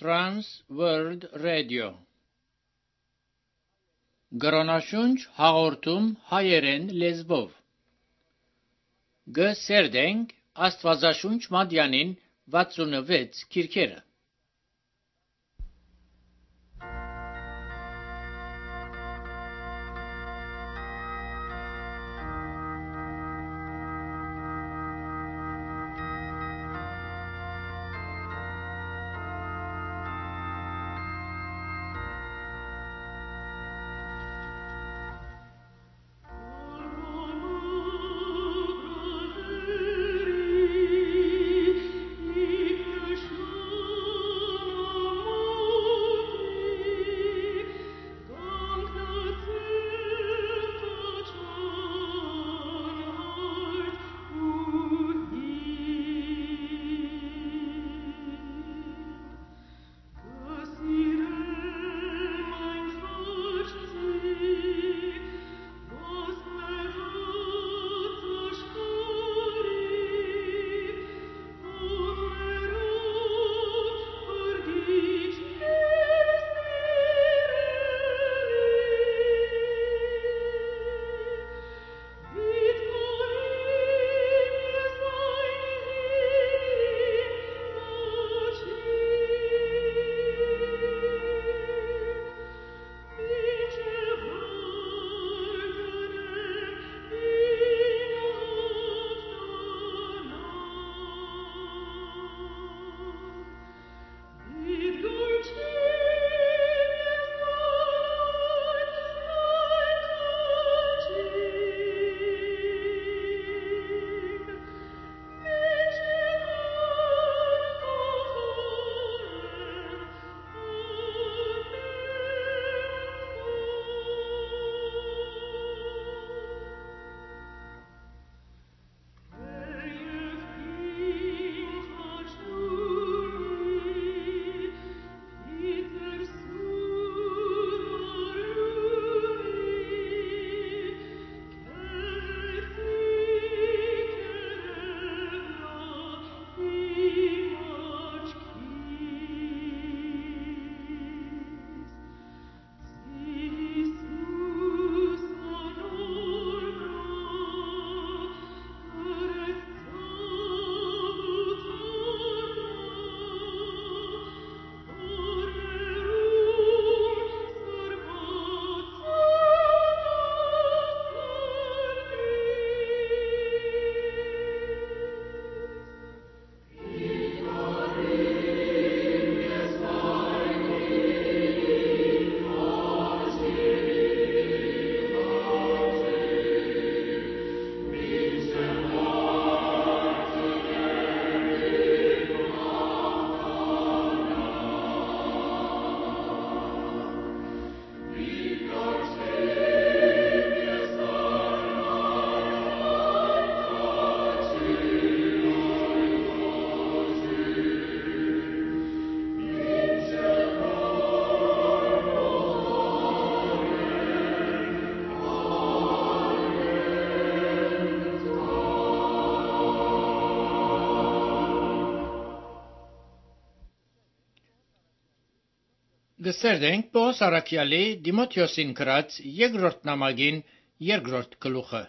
Trans World Radio Գրոնաշունչ հաղորդում հայերեն լեզվով Գսերդենք Աստվածաշունչ Մատյանին 66 քիրքերը Գսերդենք Պողոս Արաքյալի Դիմոթեոսին գրած երկրորդ նամակին երկրորդ գլուխը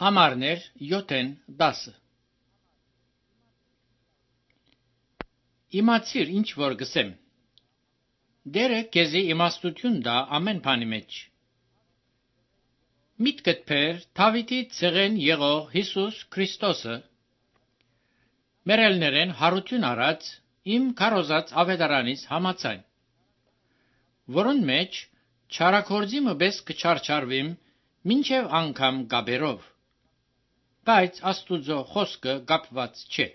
Համարներ 7-10 Իմացիր ինչ որ գսեմ Դերը քեզի իմաստություն դա ամեն բանի մեջ Միտքդ փեր Դավիթի ցեղեն եղող Հիսուս Քրիստոսը մերելներեն հարություն արած Իմ քարոզած ավետարանից համաձայն, որոն մեջ չարակորձի մբես կչարչարվիմ, մինչև անգամ գաբերով, բայց Աստուծո խոսքը գապված չէ։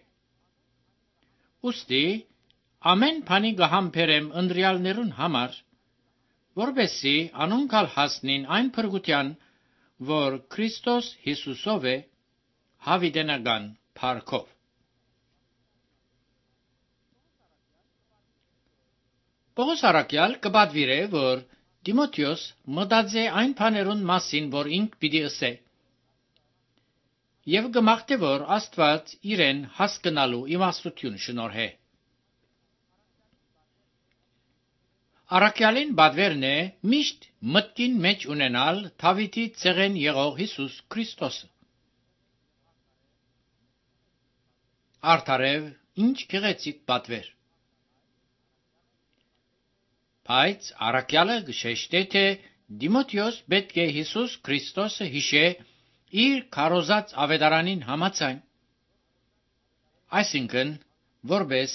Ուստի, ամեն բանի գհամբերեմ ընտրյալներուն համար, որբեսի անոնքալ հասնին այն փրկության, որ Քրիստոս Հիսուսով է, հավիտենական փառքով։ Պողոս Արաքյալ կպատվիրե, որ Դիմոթեոս մտածե այն բաներուն մասին, որ ինք պիտի ասե։ եւ գմախտե որ Աստված իրեն հասկանալու իմաստություն շնորհե։ Առաքյալին բادرն է միշտ մտքին մեջ ունենալ Դավիթի ցեղեն եղող Հիսուս Քրիստոսը։ Արդարև ինչ գեղեցիկ բادر։ Բայց առաքյալը գշեշտե թե Դիմոթեոս պետք է Հիսուս Քրիստոսը հիշե իր քարոզած ավետարանին համաձայն, այսինքն որպես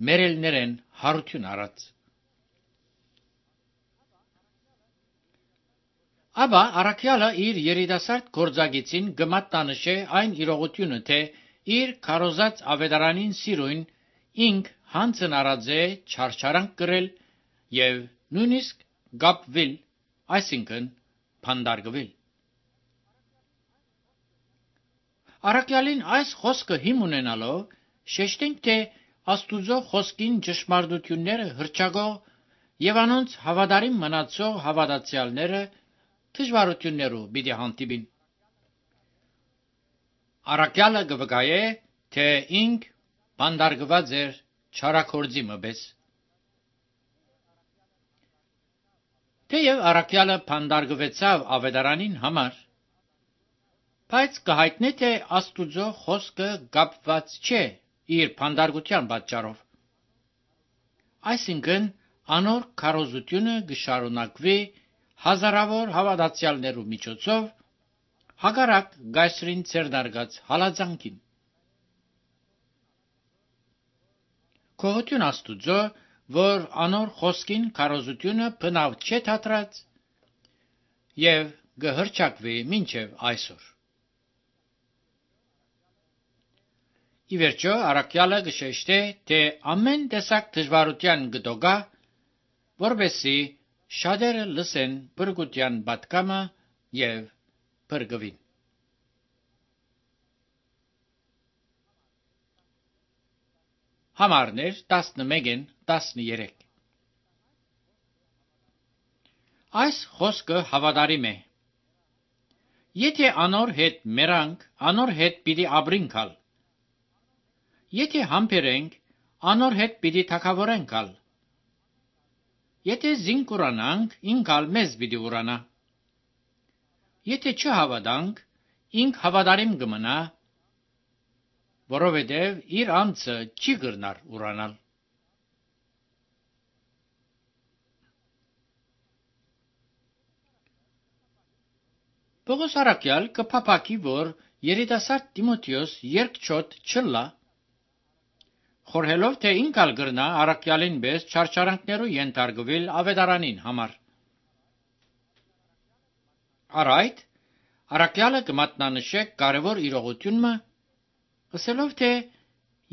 մերելներեն հարություն առած։ Աբա առաքյալը իր երիտասարդ գործագիծին գմատնանշե այն իրողությունը, թե իր քարոզած ավետարանին սիրուն ինք հանցն առած է չարչարանք կրել եւ նույնիսկ գապվել, այսինքն փանդարգվել։ Առաքյալին այս խոսքը հիմ ունենալով շեշտենք, թե Աստուծո խոսքին ճշմարտությունները հրճագող եւ անոնց հավատարիմ մնացող հավատացյալները դժվարություններով պիտի հանդիպին։ Առաքյալը գվկայե, թե ինք փանդարգված էր չարակորձի մպես։ Թեև առաքյալը փանդարգվեցավ ավետարանին համար, բայց կհայտնե, թե Աստուծո խոսքը կապված չէ իր փանդարգության պատճառով։ Այսինքն անոր քարոզությունը կշարունակվի հազարավոր հավատացյալներու միջոցով հակառակ գայսրին ցերնարգած հալածանքին։ Գոհություն Աստուծո, որ անոր խոսքին քարոզությունը բնավ չէ թատրած եւ գհրճակվի մինչև այսօր։ Ի վերջո առաքյալը գշեշտե, թե ամեն տեսակ դժվարության գտոգա, որբեսի շատերը լսեն բրգության պատկամը եւ բրգվին։ Համարներ 11-13 Այս խոսքը հավատարիմ է։ Եթե անոր հետ մերանք, անոր հետ պիտի ապրինքալ։ Եթե համբերենք, անոր հետ պիտի թագավորենքալ։ Եթե զինք ուրանանք, ինքալ մեզ պիտի ուրանա։ Եթե չհավատանք, ինք հավատարիմ կմնա, որովհետև իր անձը չի կրնար ուրանալ։ Պողոս առաքյալ կփափակի, որ երիտասարդ Տիմոթեոս երկչոտ չլա, խորհելով, թե ինքալ կրնա առաքյալին պես չարչարանքներու ենթարկվել ավետարանին համար։ Արայդ առաքյալը կմատնանշե կարևոր իրողությունը, ասելով, թե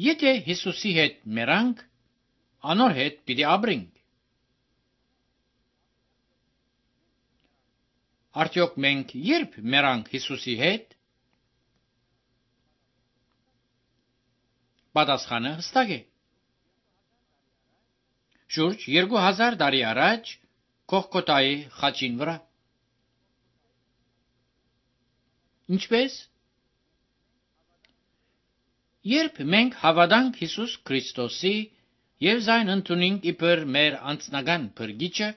եթե Հիսուսի հետ մերանք, անոր հետ պիտի ապրենք։ Արդյոք մենք երբ մերանք Հիսուսի հետ։ Պատասխանը հստակ է։ Շուրջ 2000 տարի առաջ Գողգոթայի խաչին վրա։ Ինչպես։ Երբ մենք հավատանք Հիսուս Քրիստոսի եւ զայն ընդունենք իբր մեր անձնական փրկիչը,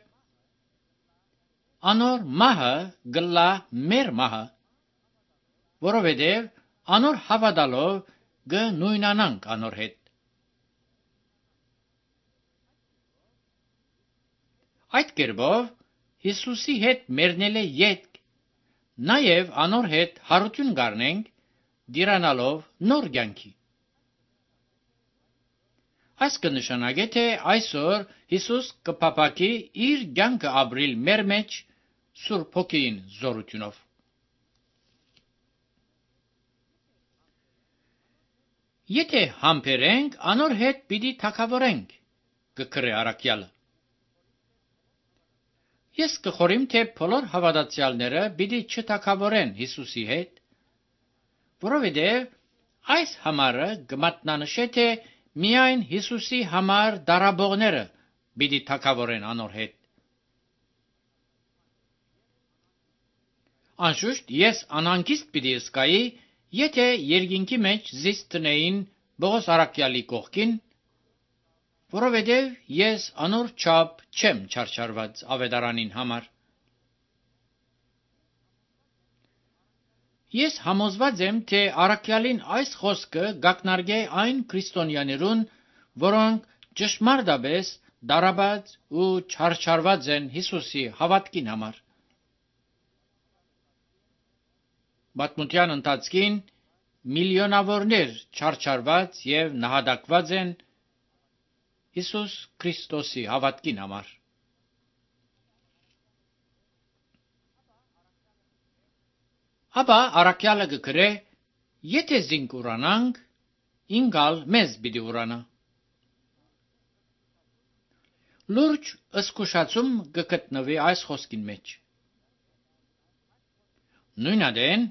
անոր մահը գլա մեր մահը, որովհետև անոր հավատալով գնույնանանք անոր հետ։ Այդ կերպով Հիսուսի հետ մեռնել է ետք, նաև անոր հետ հարություն գարնենք, դիրանալով նոր կյանքի։ Այս կնշանակե, թե այսօր Հիսուս կփափակի իր կյանքը ապրիլ մեր մեջ Սուրբ Հոգին զորությունով։ Եթե համբերենք, անոր հետ պիտի թագավորենք, կգրե առաքյալը։ Ես կխորիմ, թե բոլոր հավատացյալները պիտի չթագավորեն Հիսուսի հետ, որովհետև այս համարը կմատնանշե, թե միայն Հիսուսի համար դարաբողները պիտի թագավորեն անոր հետ։ Անշուշտ ես անհանգիստ պիտի զգայի, Եթե երկինքի մեջ զիս տնեին Պողոս առաքյալի կողքին, որովհետև ես անոր չափ չեմ չարչարված ավետարանին համար։ Ես համոզված եմ, թե առաքյալին այս խոսքը գակնարկե այն քրիստոնյաներուն, որոնք ճշմարտաբես դարաբաց ու չարչարված են Հիսուսի հավատքին համար։ Պատմության ընթացքին միլիոնավորներ չարչարված եւ նահատակված են Հիսուս Քրիստոսի հավատքին համար։ Ապա առաքյալը կգրե. եթե զինք ուրանանք, ինգալ մեզ պիտի ուրանա։ Լուրջ ըսկուշացում կգտնվի այս խոսքին մեջ։ Նույնադեն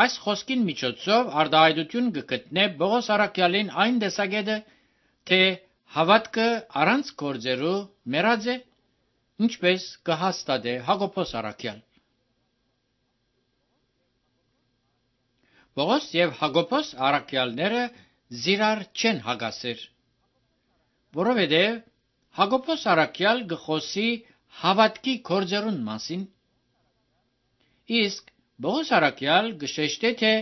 այս խոսքին միջոցով արտահայտություն կգտնե Պողոս առաքյալին այն տեսակետը, թե հավատքը առանց գործերու մեռած է, ինչպես կհաստատե Հակոբոս առաքյալ։ Պողոս եւ Հակոբոս առաքյալները զիրար չեն հագասեր, որովհետև Հակոբոս առաքյալ գխոսի հավատքի գործերուն մասին, իսկ Պողոս առաքյալ գշեշտե թե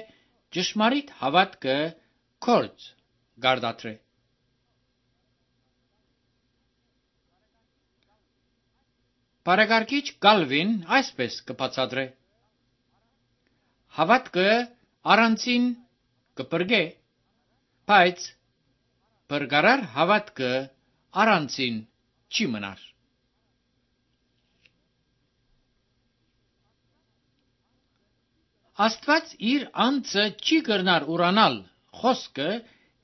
ճշմարիտ հավատքը գործ գարդատրե։ Բարեկարգիչ Կալվին այսպես կբացատրե. հավատքը առանցին կպրգե, բայց բրգարար հավատքը առանցին չի մնար։ Աստված իր անձը չի կրնար ուրանալ խոսքը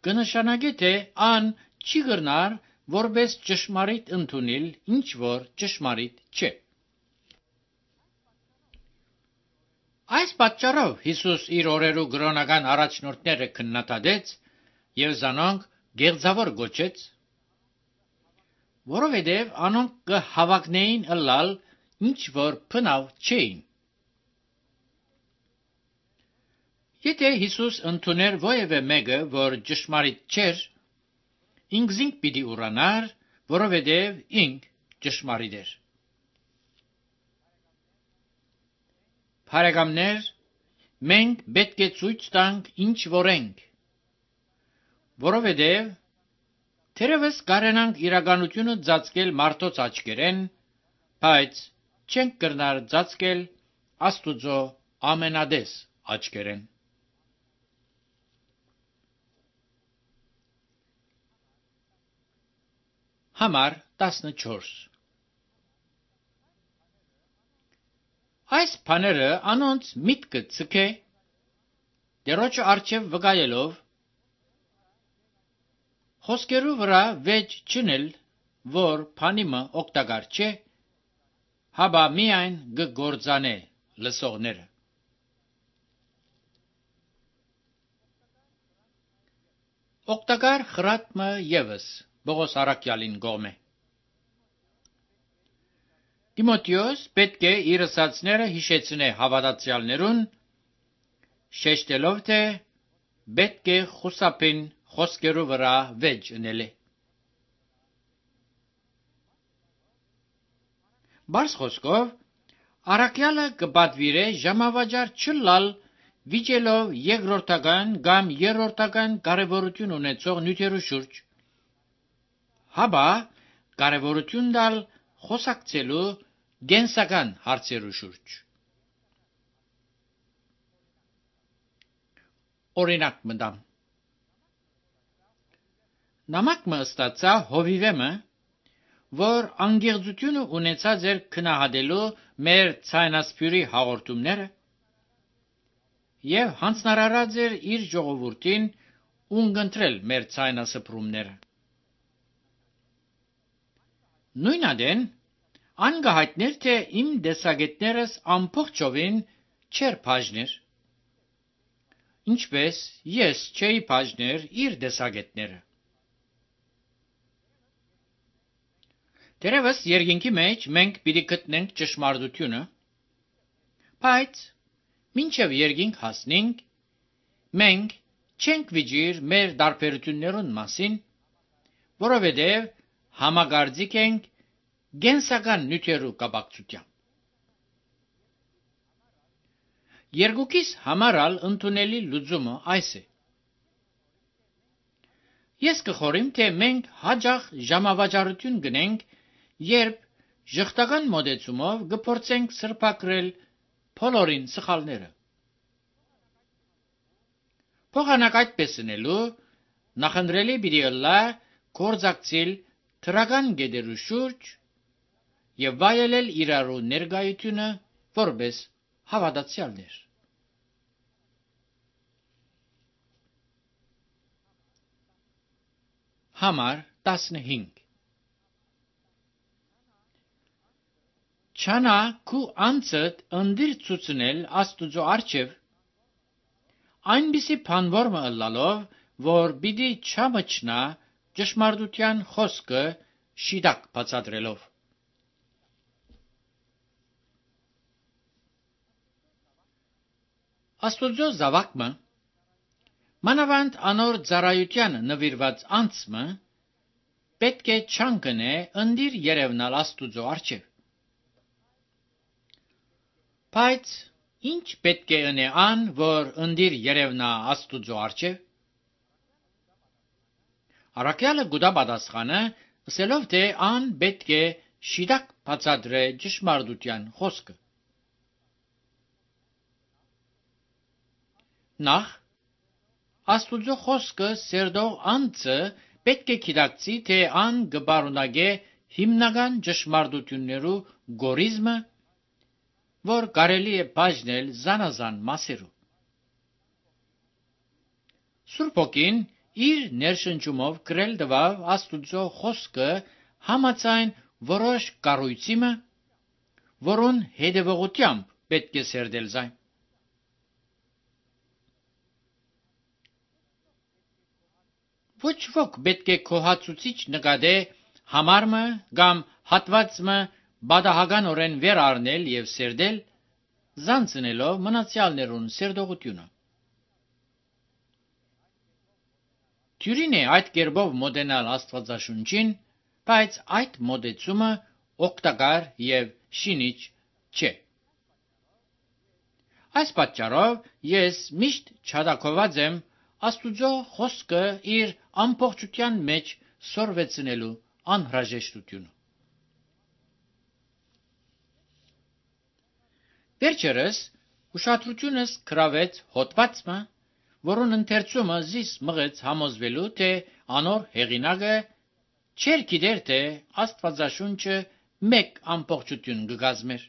կնշանակե թե ան չի կրնար որպես ճշմարիտ ընդունել ինչ որ ճշմարիտ չէ։ Այս պատճառով Հիսուս իր օրերու գրոնական առաջնորդները քննադատեց եւ զանոնք գեղձավոր գոչեց, որովհետև անոնք կհավակնեին ըլլալ ինչ որ բնավ չէին։ Եթե Հիսուս ընդուներ ովևէ մեկը, որ ճշմարիտ չէր, ինքզինք պիտի ուրանար, որովհետև ինք ճշմարիտ էր։ Բարեկամներ, մենք պետք է ցույց տանք ինչ որ ենք, որովհետև թերևս կարենանք իրականությունը ծածկել մարդոց աչքերեն, բայց չենք կրնար ծածկել Աստուծո ամենադես աչքերեն։ Համար 14 Այս բաները անոնց միտքը ցկե, Տերոջը առջև վկայելով, խոսքերու վրա վեճ չնել, որ բանիմը օգտակար չէ, հաբա միայն կգործանե լսողները։ Օգտակար խրատմը ևս Պողոս առաքյալին գոմ է։ Տիմոթեոս պետք է իր ասացները հիշեցնե հավատացյալներուն, շեշտելով թե պետք է խուսափին խոսքերու վրա վեճ ընելը։ Բարձ խոսքով, առաքյալը կպատվիրե ժամավաճառ չլալ վիճելով երկրորդական կամ երրորդական կարևորություն ունեցող նյութերու շուրջ, հաբա կարևորություն տալ խոսակցելու գենսական հարցերու շուրջ։ Օրինակ մտամ։ Նամակ մը ստացա հովիվեմը, որ անգեղծությունը ունեցած էր քնահատելու մեր ցայնասպյուրի հաղորդումները եւ հանձնարարած էր իր ժողովրդին ունգընտրել մեր ցայնասպրումները։ Նույնադեն անգահայտներ թե իմ դեսագետներս ամբողջովին չեր բաժներ, ինչպես ես չէի բաժներ իր դեսագետները։ Դերևս երկինքի մեջ մենք պիտի գտնենք ճշմարտությունը, բայց մինչև երկինք հասնենք, մենք չենք վիճիր մեր դարբերություններուն մասին, որովհետև համագարձիկ ենք գենսական նյութերու կապակցությամբ։ Երկուքիս համարալ ընդունելի լուծումը այս է։ Ես կխորիմ, թե մենք հաջող ժամավաճառություն գնենք, երբ ժխտական մոդեցումով կփորձենք սրբակրել բոլորին սխալները։ Փոխանակ այդպես ընելու նախընտրելի պիտի ըլլա կորձակցիլ թրական գեդերու շուրջ եւ վայելել իրարու ներկայությունը որպես հավատացյալներ։ Համար 15 Չանա քու անցդ ընդիր ցուցնել Աստուծո առջև, այնպիսի բանվորմը ըլլալով, որ պիտի չամչնա ճշմարտության խոսքը շիդակ բացատրելով։ Աստուծո զավակը մանավանդ անոր ծառայության նվիրված անձը պետք է չանկնե ընդիր երևնալ Աստուծո առջև։ Բայց ինչ պետք է ընե ան, որ ընդիր երևնա Աստուծո առջև։ Առաքյալը գուտա պատասխանը, ասելով, թե ան պետք է շիդակ բացատրե ճշմարտության խոսքը։ Նախ Աստուծո խոսքը սերդող անձը պետք է գիտակցի, թե ան կբարունագե հիմնական ճշմարտություններու գորիզմը, որ կարելի է բաժնել զանազան մասերու։ Սուրբ Հոգին իր ներշնչումով գրել տվավ Աստուծո խոսքը համաձայն որոշ կառույցիմը, որուն հետևողությամբ պետք է սերդել զայն։ Ոչ ոք պետք է քոհացուցիչ նկատե համարմը կամ հատվածմը բադահականորեն վեր առնել եւ սերդել, զանցնելով մնացյալներուն սերդողությունը։ Թյուրին է այդ կերպով մոտենալ Աստվածաշունչին, բայց այդ մոտեցումը օգտակար եւ շինիչ չէ։ Այս պատճառով ես միշտ չհադակոված եմ Աստուծո խոսքը իր ամբողջության մեջ սորվեցնելու անհրաժեշտությունը։ Վերջերս ուշադրությունս գրավեց հոդվածը, որուն ընթերցումը զիս մղեց համոզվելու, թե անոր հեղինակը չէր գիտեր, թե Աստվածաշունչը մեկ ամբողջություն կգազմեր։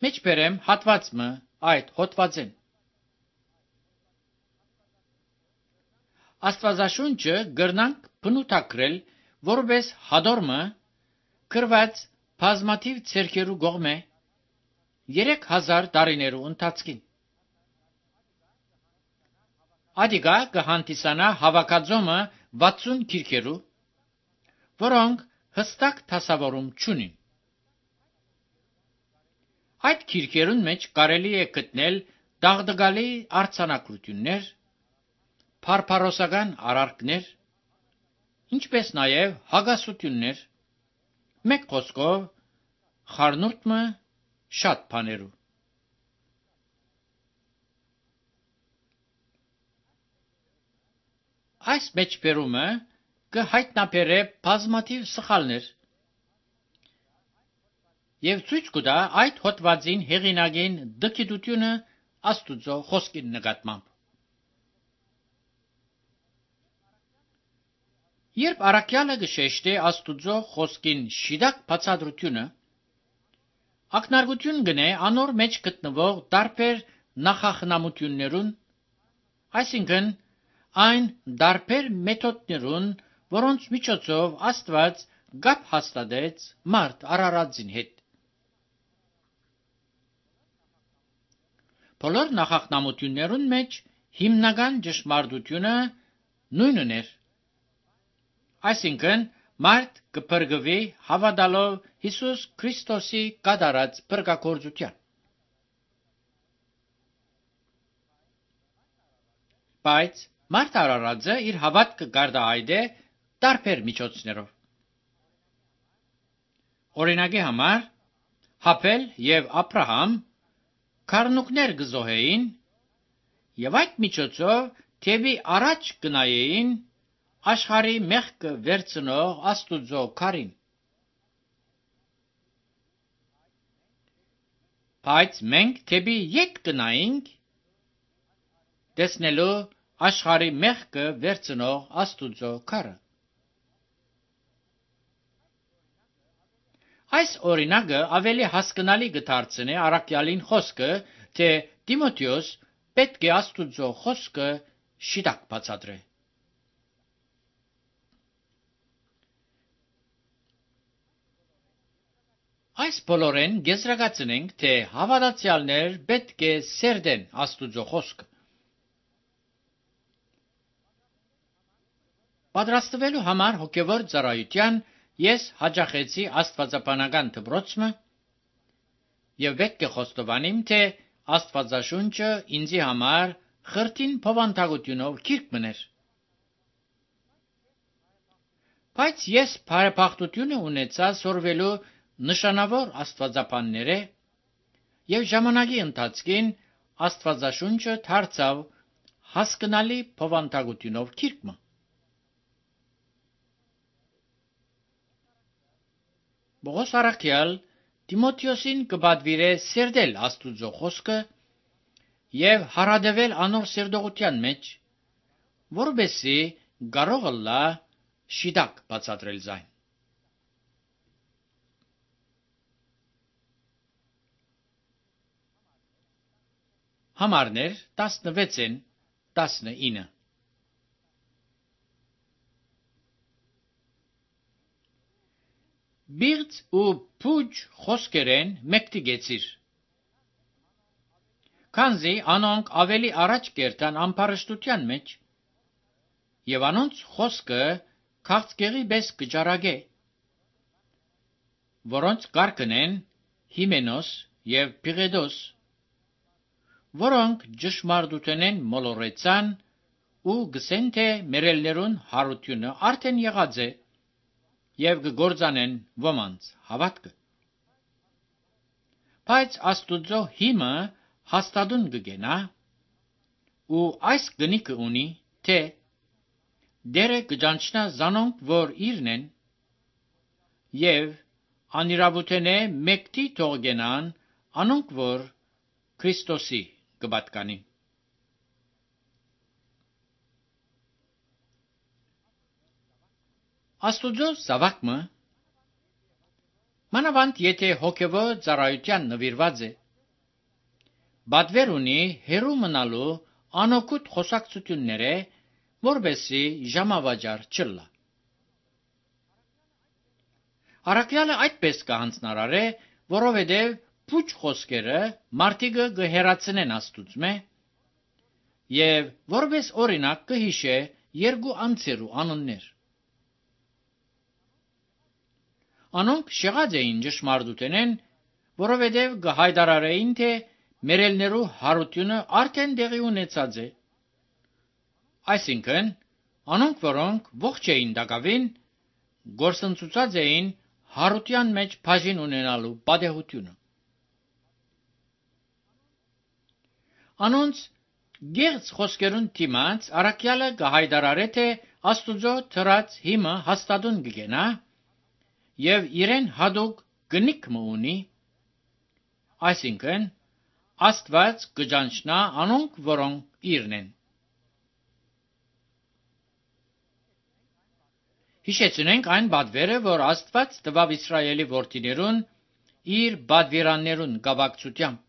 Մեջբերեմ հատվածը այդ հոդվածեն։ Աստվածաշունչը գրնանք բնութագրել որպես հադորմը գրված բազմաթիվ ցերկերու գողմե 3000 տարիներու ընթացքին։ Ադիգա կհանդիսանա հավաքածոմը 60 գիրքերու, որոնք հստակ դասավորում չունին։ Այդ գիրքերուն մեջ կարելի է գտնել դաղդգալի արձանագրություններ, փարփարոսական արարքներ, ինչպես նաև հագասություններ, մեկ խոսքով խառնուրդը շատ բաներու։ Այս մեջբերումը կհայտնաբերե բազմաթիվ սխալներ եւ ցույց կտա այդ հոդվածին հեղինակին դգիտությունը Աստուծո խոսքին նկատմամբ։ Երբ առաքյալը գշեշտե Աստուծո խոսքին շիդակ բացատրությունը, ակնարկություն գնե անոր մեջ գտնվող տարբեր նախախնամություններուն, այսինքն այն տարբեր մեթոդներուն, որոնց միջոցով Աստված գապ հաստատեց մարդ Արարածին հետ։ Բոլոր նախախնամություններուն մեջ հիմնական ճշմարտությունը նույնն էր, այսինքն մարդ կփրկվի հավատալով Հիսուս Քրիստոսի կատարած փրկագործության։ Բայց մարդ արարածը իր հավատքը գարդահայտե տարբեր միջոցներով։ Օրինակի համար, Հաբել եւ Աբրահամ քառնուկներ գզոհեին եւ այդ միջոցով թեւի առաջ գնայեին աշխարհի մեղքը վերցնող Աստուծո քարին։ Բայց մենք թեւի ետ գնայինք տեսնելու աշխարհի մեղքը վերցնող Աստուծո քարը։ Այս օրինակը ավելի հասկանալի կդարձնի առաքյալին խոսքը, թե Տիմոթեոս պետք է Աստուծո խոսքը շիտակ բացատրե։ Այս բոլորեն գեզրակացնենք, թե հավատացյալներ պետք է սերդեն Աստուծո խոսքը։ Պատրաստվելու համար հոգևոր ծառայության ես հաճախեցի աստվածաբանական դպրոցը եւ պետք է խոստովանեմ, թե Աստվածաշունչը ինձի համար խրտին բովանդակությունով գիրք մներ։ Բայց ես բարեբախտությունը ունեցա սորվելու նշանավոր աստվածաբանները եւ ժամանակի ընթացքին Աստվածաշունչը դարձավ հասկանալի բովանդակությունով գիրք։ Պողոս առաքյալ Տիմոթեոսին կպատվիրե սերդել Աստուծո խոսքը եւ հարադեվել անոր սերտողության մեջ, որովհետեւ կարող լա շիտակ բացատրել զայն։ Համարներ 16-19 Բիղծ ու փուջ խոսքերեն մեկտիգեցիր, քանզի անոնք ավելի առաջ կերտան ամբարշտության մեջ, եւ անոնց խոսքը քաղցկեղի պես կճարագե, որոնց կարգն են Հիմենոս եւ Փիղեդոս, որոնք ճշմարտութենեն մոլորեցան ու գսեն, թե մերելներուն հարությունը արդեն եղած է եւ կգործանեն ոմանց հավատքը։ Բայց Աստուծո հիմը հաստատուն կգենա ու այս գնիկը ունի, թե դերը կճանչնա զանոնք, որ իրն են եւ անիրավութենե մեկտի թողգենան անոնք, որ Քրիստոսի կպատկանի։ Աստուծո զավակը մանավանդ եթե հոգևոր ծառայության նվիրված է, բադվեր ունի հերու մնալու անօգուտ խոսակցությունները, որպեսզի ժամավաճառ չլա։ Առաքյալը այդպես կհանձնարարե, որովհետև փուչ խոսքերը մարդիկը կհեռացնեն Աստուծմե եւ որպես օրինակ կհիշե երկու անձերու անուններ։ Անոնք շեղած էին ճշմարտութենեն, որովհետև կհայտարարեին, թե մերելներու հարությունը արդեն տեղի ունեցած է։ Այսինքն, անոնք, որոնք ողջ էին դակավին, գործընծուցած էին հարության մեջ բաժին ունենալու պատեհությունը։ Անոնց գեղձ խոսքերուն դիմաց առաքյալը կհայտարարե, թե Աստուծո թրած հիմը հաստատուն կգենա եւ իրեն հադուկ գնիկը ունի, այսինքն Աստված կճանչնա անոնք, որոնք իրն են։ Հիշեցնենք այն բադվերը, որ Աստված տվավ Իսրայելի որդիներուն իր բադվիրաններուն գավակցությամբ։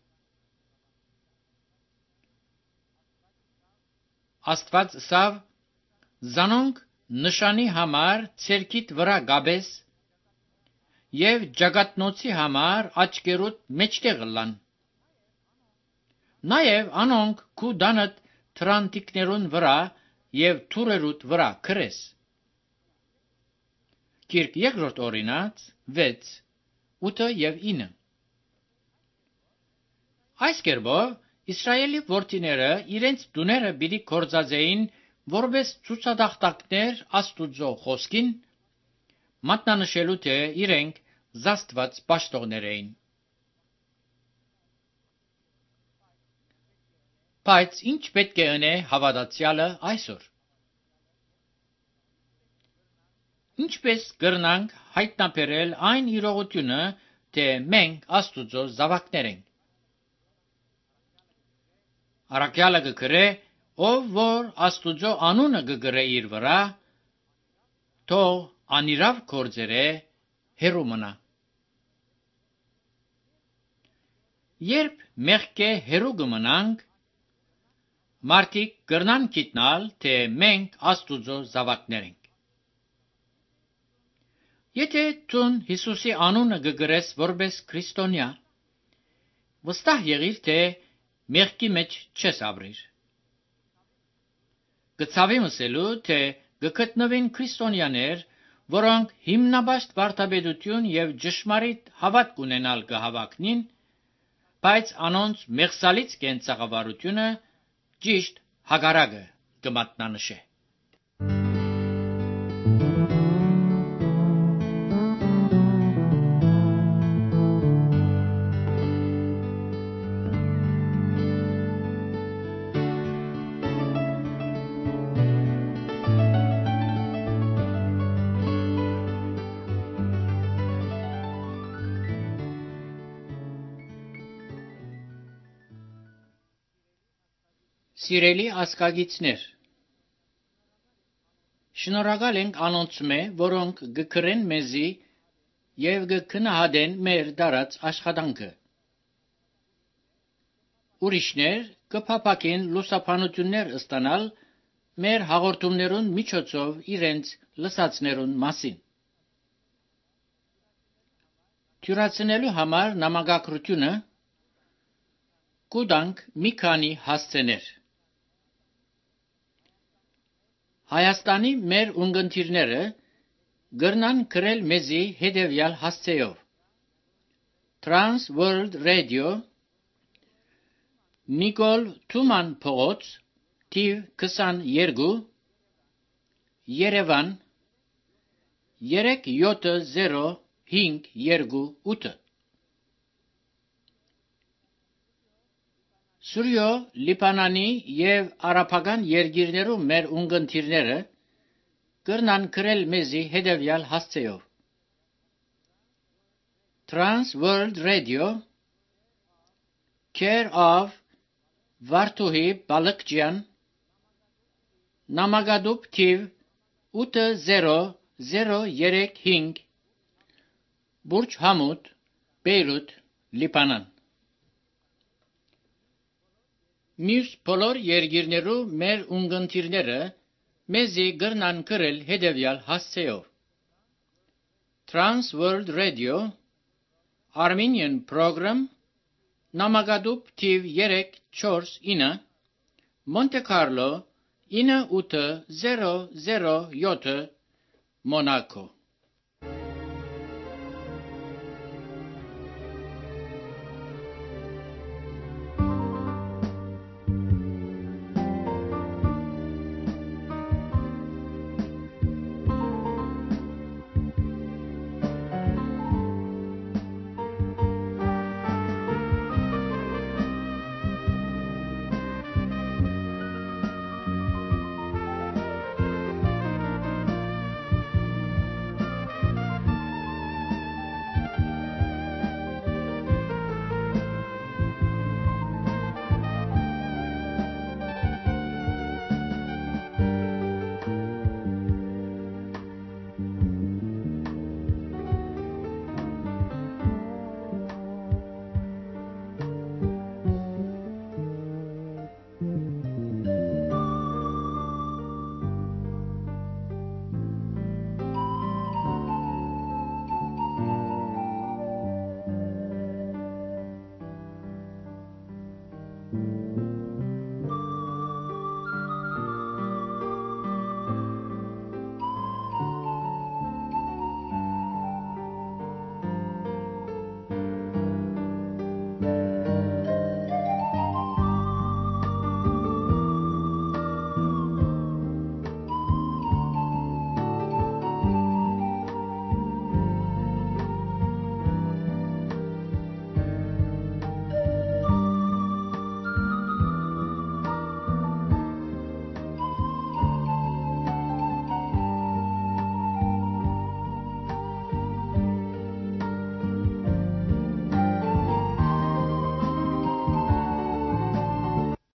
Աստված սավ զանոնք նշանի համար ցերքիտ վրա գաբես եւ ջագատնոցի համար աչկերուտ մեջտեղ լան։ Նաեւ անոնք քու դանդ թրանտիկներուն վրա եւ թուրերուտ վրա քրես։ Կիրք երկրորդ օրինաց 6, 8 եւ 9 Այս կերպով Իսրայելի որդիները իրենց տուները պիտի կործածեին որպես ցուցադախտակներ Աստուծո խոսքին, մատնանշելու թե իրենք զաստված պաշտողներ էին։ Բայց ինչ պետք է ընե հավատացյալը այսօր։ Ինչպես կրնանք հայտնաբերել այն իրողությունը, թե մենք Աստուծո զավակներ ենք։ Առաքյալը կգրե, ով որ Աստուծո անունը կգրե իր վրա, թող անիրավ գործերը հեռու մնա։ Երբ մեղքե հեռու կմնանք, մարդիկ կրնան գիտնալ, թե մենք Աստուծո զավակներ ենք։ Եթե դու Հիսուսի անունը կգրես որպես քրիստոնյա, վստահ եղիր, թե մեղքի մեջ չես ապրիր։ Կցավի մսելու, թե կգտնվեն քրիստոնյաներ, որոնք հիմնաբաստ վարդապետություն եւ ճշմարիտ հավատք ունենալ կհավակնին, բայց անոնց մեղսալից կենցաղավարությունը ճիշտ հակառակը կմատնանշե։ Սիրելի ասկագիցներ, շնորհակալ ենք անոնցմե, որոնք կգրեն մեզի եւ կգնահատեն մեր դարած աշխատանքը։ Ուրիշներ կփափակեն լուսաբանություններ ստանալ մեր հաղորդումներուն միջոցով իրենց լսածներուն մասին։ Թյուրացնելու համար նամակագրությունը կուտանք մի քանի հասցեներ։ Հայաստանի մեր ունգընտիրները գրնան գրել մեզի հետևյալ հասցեով. Trans World Radio, Նիկոլ Թուման փողոց, թիվ 22, Երևան 37058։ Սուրյո Լիբանանի եւ արաբական երկիրներում մեր ունգընտիրները կրնան գրել մեզի հետևյալ հասցեով. Trans World Radio, Care of Վարդուհի Բալկջյան, Նամակադուբ թիվ 80035, Բուրջ Համուդ, Բեյրութ, Լիբանան։ Մյուս բոլոր երկիրներու մեր ունգընտիրները մեզի գրնան գրել հետևյալ հասցեով. Trans World Radio, Armenian Program, Նամակադուբ թիվ 349, Monte Carlo 9807, Monaco։